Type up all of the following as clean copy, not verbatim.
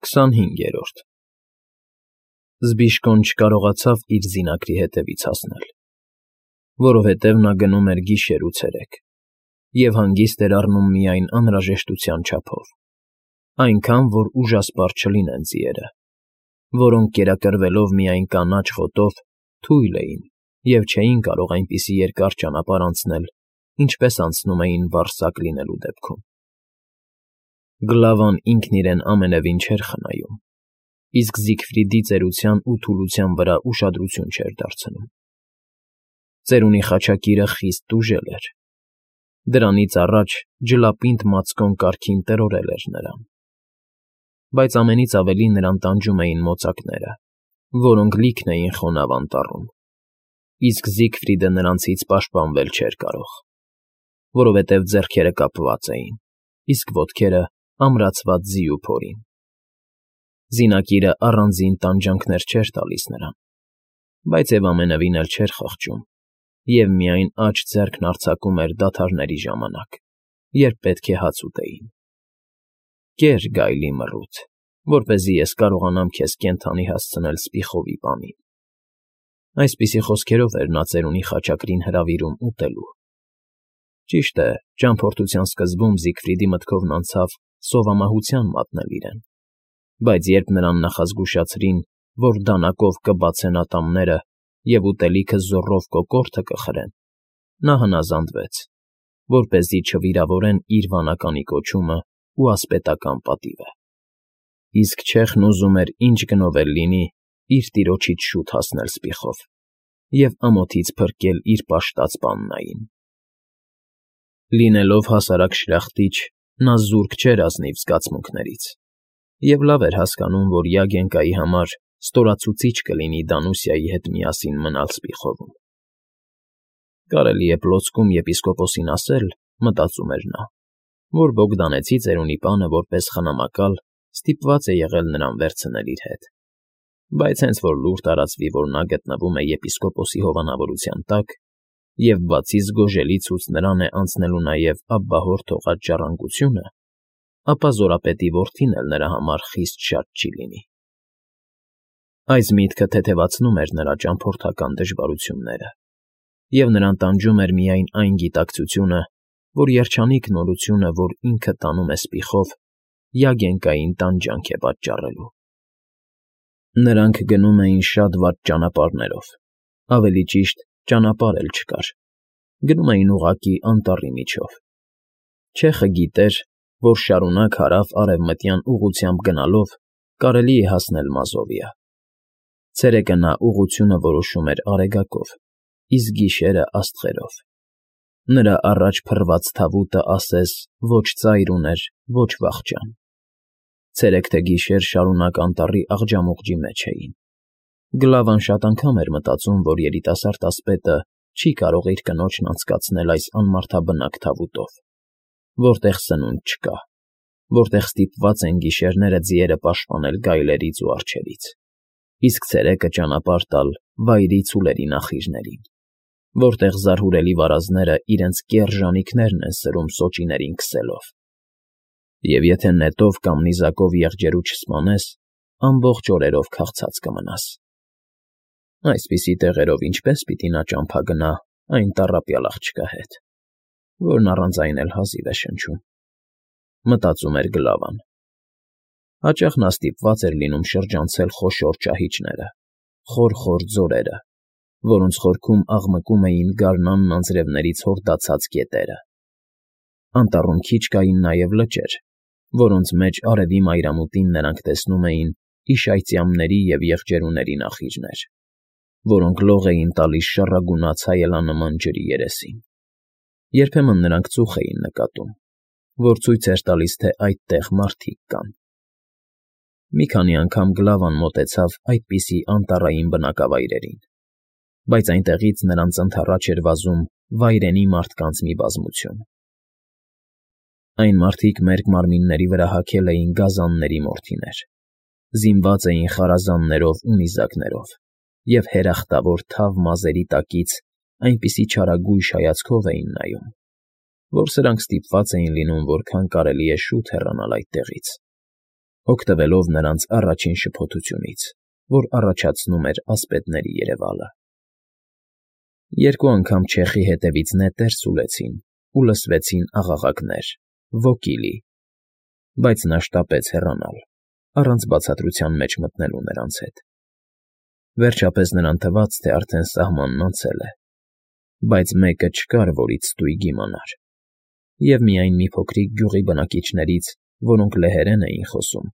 25-րդ Զբիշկոն չկարողացավ իր զինակրի հետևից հասնել, որովհետև նա գնում էր գիշեր ու ցերեկ և հանգիստ էր առնում միայն անհրաժեշտության չափով, այնքան, որ ուժասպառ չլինեն ձիերը, որոնք կերակրվելով միայն կանաչ խոտով թույլ էին և չէին կարող այնպիսի երկար ճանապարհ անցնել, ինչպես անցնում էին վառ սակ լինելու դեպքում։ Գլավան ինքն իրեն ամենևին չէր խնայում, իսկ Զիգֆրիդի ծերության ու թուլության վրա ուշադրություն չէր դարձնում։ Ծերունի խաչակիրը խիստ տուժել էր։ Դրանից առաջ ջլապինդ մածկոն կարգին տրորել էր նրան։ Բայց ամենից ավելի նրան տանջում էին մոծակները, որոնք լիքն էին խոնավ անտառում, իսկ Զիգֆրիդը նրանցից պաշտպանվել չէր կարող, որովհետև ձեռքերը կապված էին, իսկ ոտքերը ամրացված ձիու փորին։ Զինակիրը առանձին տանջանքներ չէր տալիս նրան, բայց և ամենևին էլ չէր խղճում և միայն աջ ձեռքն արձակում էր դադարների ժամանակ, երբ պետք է հաց ուտեին։ «Կեր, գայլի մռութ, որպեսզի ես կարողանամ քեզ կենդանի հասցնել սպիխովի պանին»։ Այսպիսի խոսքերով էր նա ծերունի խաչակրին հրավիրում ուտելու։ Ճիշտ է, ճամփորդության սկզբում Զիգֆրիդի մտքովն անցավ սովամահության մատնել իրեն, բայց երբ նրան նախազգուշացրին, որ դանակով կբացեն ատամները և ուտելիքը զոռով կոկորդը կխրեն, նա հնազանդվեց, որպեսզի չվիրավորեն իր վանականի կոչումն ու ասպետական պատիվը։ Իսկ չեխն ուզում էր ինչ գնով էլ լինի իր տիրոջից շուտ հասնել սպիխով և ամոթից փրկել իր պաշտած պաննային։ Լինելով հասարակ շլախտիչ, նա զուրկ չէր ազնիվ զգացմունքներից և լավ էր հասկանում, որ Յագենկայի համար ստորացուցիչ կլինի Դանուսիայի հետ միասին մնալ սպիխովում։ Կարելի է պլոցկում եպիսկոպոսին ասել, մտածում էր նա, որ Բոգդանեցի ծերունի պանը որպես խնամակալ ստիպված է եղել նրան վերցնել իր հետ, բայց հենց որ լուր տարածվի, որ նա գտնվում է եպիսկոպոսի հովանավորության տակ, և բացի զգոժելի ցույց նրան է անցնելու նաև աբբահոր թողած ժառանգությունը, ապա Զորապետի որդին էլ նրա համար խիստ շատ չի լինի։ Այս միտքը թեթևացնում էր նրա ճամփորդական դժվարությունները, և նրան տանջում էր միայն այն գիտակցությունը, որ երջանիկ նորությունը, որ ինքը տանում է սպիխով, Յագենկային տանջանք է պատճառելու։ Նրանք գնում էին շատ վատ ճանապարհներով, ավելի ճիշտ, ճանապարհ էլ չկար, գնում էին ուղղակի անտառի միջով։ Չեխը գիտեր, որ շարունակ հարավ֊արևմտյան ուղղությամբ գնալով կարելի է հասնել Մազովիա։ Ցերեկը նա ուղղությունը որոշում էր Արեգակով, իսկ գիշերը՝ աստղերով։ Նրա առաջ փռված թավուտը ասես ոչ ծայր ուներ, ոչ վախճան։ Ցերեկ թե գիշեր շարունակ անտառի աղջամուղջի մեջ էին։ Գլավան շատ անգամ էր մտածում, որ երիտասարդ ասպետը չի կարող իր կնոջն անցկացնել այս անմարդաբնակ թավուտով, որտեղ սնունդ չկա, որտեղ ստիպված են գիշերները ձիերը պաշտպանել գայլերից ու արջերից, իսկ ցերեկը ճանապարհ տալ վայրի ցուլերի նախիժներին, որտեղ զարհուրելի վարազները իրենց կեռ ժանիքներն են սրում սոճիներին քսելով։ Եվ եթե նետով կամ նիզակով եղջերու չսպանես, ամբողջ օրերով քաղցած կմնաս։ Այսպիսի տեղերով ինչպես պիտի նա ճամփա գնա այն տառապյալ աղջկա հետ, որն առանց այն էլ հազիվ է շնչում, մտածում էր Գլավան։ Հաճախ նա ստիպված էր լինում շրջանցել խոշոր ճահիճները, խոր ձորերը, որոնց խորքում աղմկում էին գարնանն անձրևներից հորդացած գետերը։ Անտառում քիչ կային նաև լճեր, որոնց մեջ արևի մայրամուտին նրանք տեսնում էին իշայծյամների և եղջերուների նախիժներ, որոնք լող էին տալիս շառագունաց հայելանման ջրի երեսին։ Երբեմն նրանք ծուխ էին նկատում, որ ցույց էր տալիս, թե այդտեղ մարդիկ կան։ Մի քանի անգամ Գլավան մոտեցավ այդպիսի անտառային բնակավայրերին, բայց այնտեղից նրանց ընդառաջ էր վազում վայրենի մարդկանց մի բազմություն։ Այն մարդիկ մերկ մարմինների վրա հագել էին գազանների մորթիներ, զինված էին խարազաններով ու նիզակներով և հերախտավոր թավ մազերի տակից այնպիսի չարագույժ հայացքով էին նայում, որ սրանք ստիպված էին լինում որքան կարելի է շուտ հեռանալ այդտեղից, օգտվելով նրանց առաջին շփոթությունից, որ առաջացնում էր ասպետների երևալը։ Երկու անգամ չեխի հետևից նետեր սուլեցին ու լսվեցին աղաղակներ. «Ոգիլի», բայց նա շտապեց հեռանալ, առանց բացատրության մեջ մտնելու նրանց հետ։ Վերջապես նրան թվաց, թե արդեն սահմանն անցել է, բայց մեկը չկար, որից ստույգ իմանար, և միայն մի փոքրիկ գյուղի բնակիչներից, որոնք լեհերեն էին խոսում,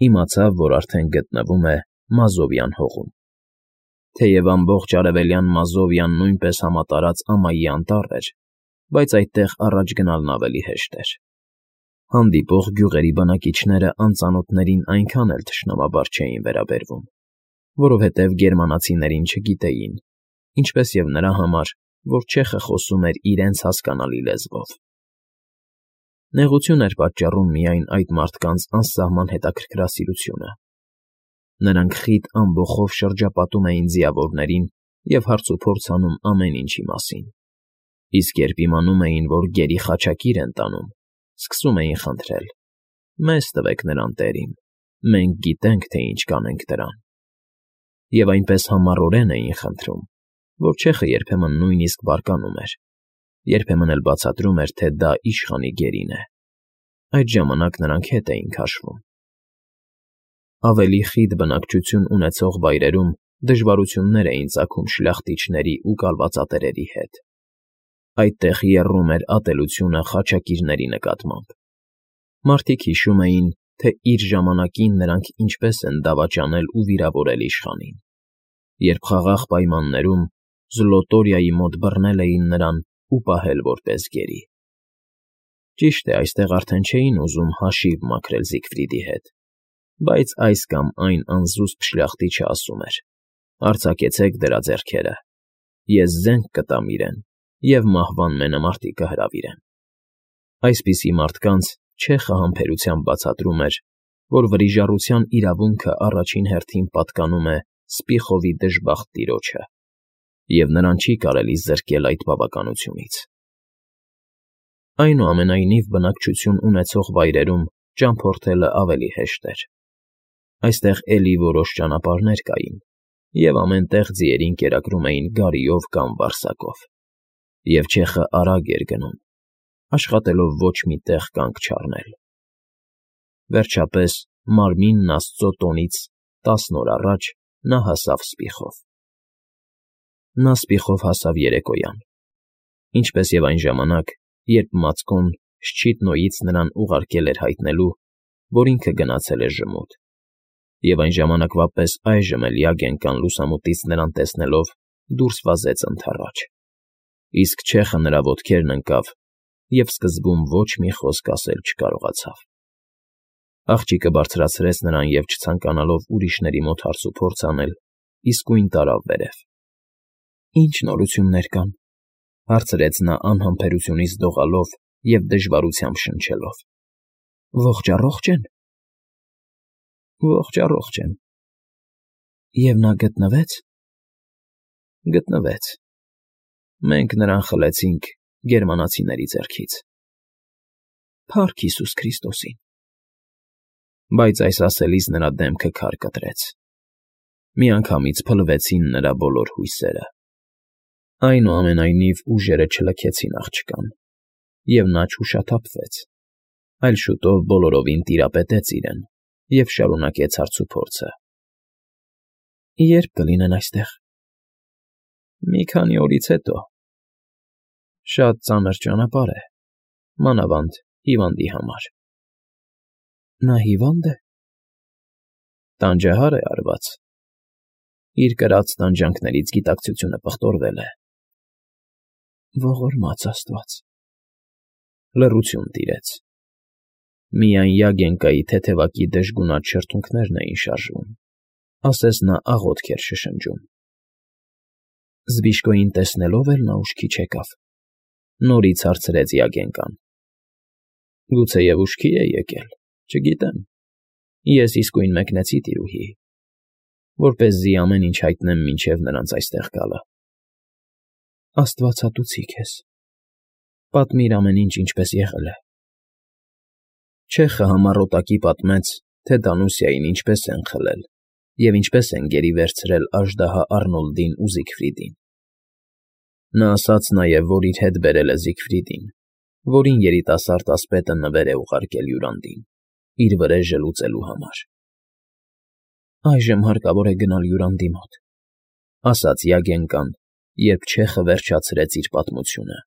իմացավ, որ արդեն գտնվում է Մազովյան հողում։ Թեև ամբողջ արևելյան Մազովյան նույնպես համատարած ամայի անտառ էր, բայց այդտեղ առաջ գնալն ավելի հեշտ էր։ Հանդիպող գյուղերի բնակիչները անծանոթներին այնքան էլ թշնամաբար չէին վերաբերվում, որովհետև գերմանացիներին չգիտեին, ինչպես և նրա համար, որ չեխը խոսում էր իրենց հասկանալի լեզվով։ Նեղություն էր պատճառում միայն այդ մարդկանց անսահման հետաքրքրասիրությունը։ Նրանք խիտ ամբոխով շրջապատում էին ձիավորներին և հարցուփորձ անում ամեն ինչի մասին, իսկ երբ իմանում էին, որ գերի խաչակիր են տանում, սկսում էին խնդրել. «Մեզ տվեք նրան, տերին, մենք գիտենք, թե ինչ կանենք դրան»։ Եվ այնպես համառորեն էին խնդրում, որ չեխը երբեմն նույնիսկ բարկանում էր, երբեմն էլ բացատրում էր, թե դա իշխանի գերին է։ Այդ ժամանակ նրանք հետ էին քաշվում։ Ավելի խիտ բնակչություն ունեցող վայրերում դժվարություններ էին ծագում շլախտիչների ու կալվածատերերի հետ։ Այդտեղ եռում էր ատելությունը խաչակիրների նկատմամբ։ Մարդիկ հիշում էին, թե իր ժամանակին նրանք ինչպես են դավաճանել ու վիրավորել իշխանին, երբ խաղաղ պայմաններում Զլոտորիայի մոտ բռնել էին նրան ու պահել որպես գերի։ Ճիշտ է, այստեղ արդեն չէին ուզում հաշիվ մաքրել Զիգֆրիդի հետ, բայց այս կամ այն անզուսպ շլախտիչը ասում էր. «Արձակեցեք դրա ձեռքերը, ես զենք կտամ իրեն և մահվան մենամարտի կհրավիրեմ»։ Այսպիսի մարդկանց չեխը համբերությամբ բացատրում էր, որ վրիժառության իրավունքը առաջին հերթին պատկանում է Սպիխովի դժբախտ տիրոջը, և նրան չի կարելի զրկել այդ բավականությունից։ Այնուամենայնիվ բնակչություն ունեցող վայրերում ճամփորդելը ավելի հեշտ էր։ Այստեղ էլի որոշ ճանապարհներ կային, և ամեն տեղ ձիերին կերակրում էին գարիով կամ վարսակով, և չեխը արագ էր գնում, աշխատելով ոչ մի տեղ կանգ չառնել։ Վերջապես, մարմինն Աստծո տոնից 10 օր առաջ նա հասավ Սպիխով։ Նա Սպիխով հասավ երեկոյան, ինչպես և այն ժամանակ, երբ Մացկոն Շչիտնոյից նրան ուղարկել էր հայտնելու, որ ինքը գնացել է ժմուտ, և այն ժամանակվա պես այժմ էլ Յագենկան լուսամուտից նրան տեսնելով դուրս վազեց ընդառաջ, իսկ չեխը նրա ոտքերն ընկավ և սկզբում ոչ մի խոսք ասել չկարողացավ։ Աղջիկը բարձրացրեց նրան և, չցանկանալով ուրիշների մոտ հարցուփորձ անել, իսկույն տարավ վերև։ «Ի՞նչ նորություններ կան», հարցրեց նա անհամբերությունից դողալով և դժվարությամբ շնչելով։ «Ողջ առողջ են»։ «Ողջ առողջ են»։ «Եվ նա գտնվեց»։ «Գտնվեց։ Մենք նրան խլեցինք գերմանացիների ձեռքից»։ Փառք Հիսուս Քրիստոսին։ Բայց այս ասելիս նրա դեմքը քար կտրեց։ Միանգամից փլվեցին նրա բոլոր հույսերը։ Այնուամենայնիվ ուժերը չլքեցին աղջկան, և նա չուշաթափվեց, այլ շուտով բոլորովին տիրապետեց իրեն և շարունակեց հարցուփորձը։ «Ե՞րբ կլինեն այստեղ»։ «Մի քանի օրից հետո»։ Շատ ծանր ճանապարհ է, մանավանդ հիվանդի համար։ Նա հիվա՞նդ է։ Տանջահար է արված։ Իր կրած տանջանքներից գիտակցությունը պղտորվել է։ Ողորմած Աստված։ Լռություն տիրեց։ Միայն Յագենկայի թեթևակի դժգունատ շրթունքներն էին շարժվում, ասես նա աղոթք էր շշնջում։ Զբիշկոյին տեսնելով էլ նա ուշքի չեկավ։ Նորից հարցրեց Յագենկան։ Գուցեև ուշքի է եկել, չգիտեմ։ Ես իսկույն մեկնեցի տիրուհի, որպեսզի ամեն ինչ հայտնեմ մինչև նրանց այստեղ գալը։ Աստվածատուցի քեզ։ Պատմիր ամեն ինչ ինչպես եղել է։ Չեխը համառոտակի պատմեց, թե Դանուսիային ինչպես են խլել և ինչպես են գերի վերցրել աժդահա Առնոլդին ու Զիգֆրիդին. նա ասաց նաև, որ իր հետ բերել է Զիգֆրիդին, որին երիտասարդ ասպետը նվեր է ուղարկել հյուրանդին, իր վրեժը լուծելու համար։ ֊ Այժմ հարկավոր է գնալ հյուրանդի մոտ,֊ ասաց Յագենկան, երբ չեխը վերջացրեց իր պատմությունը։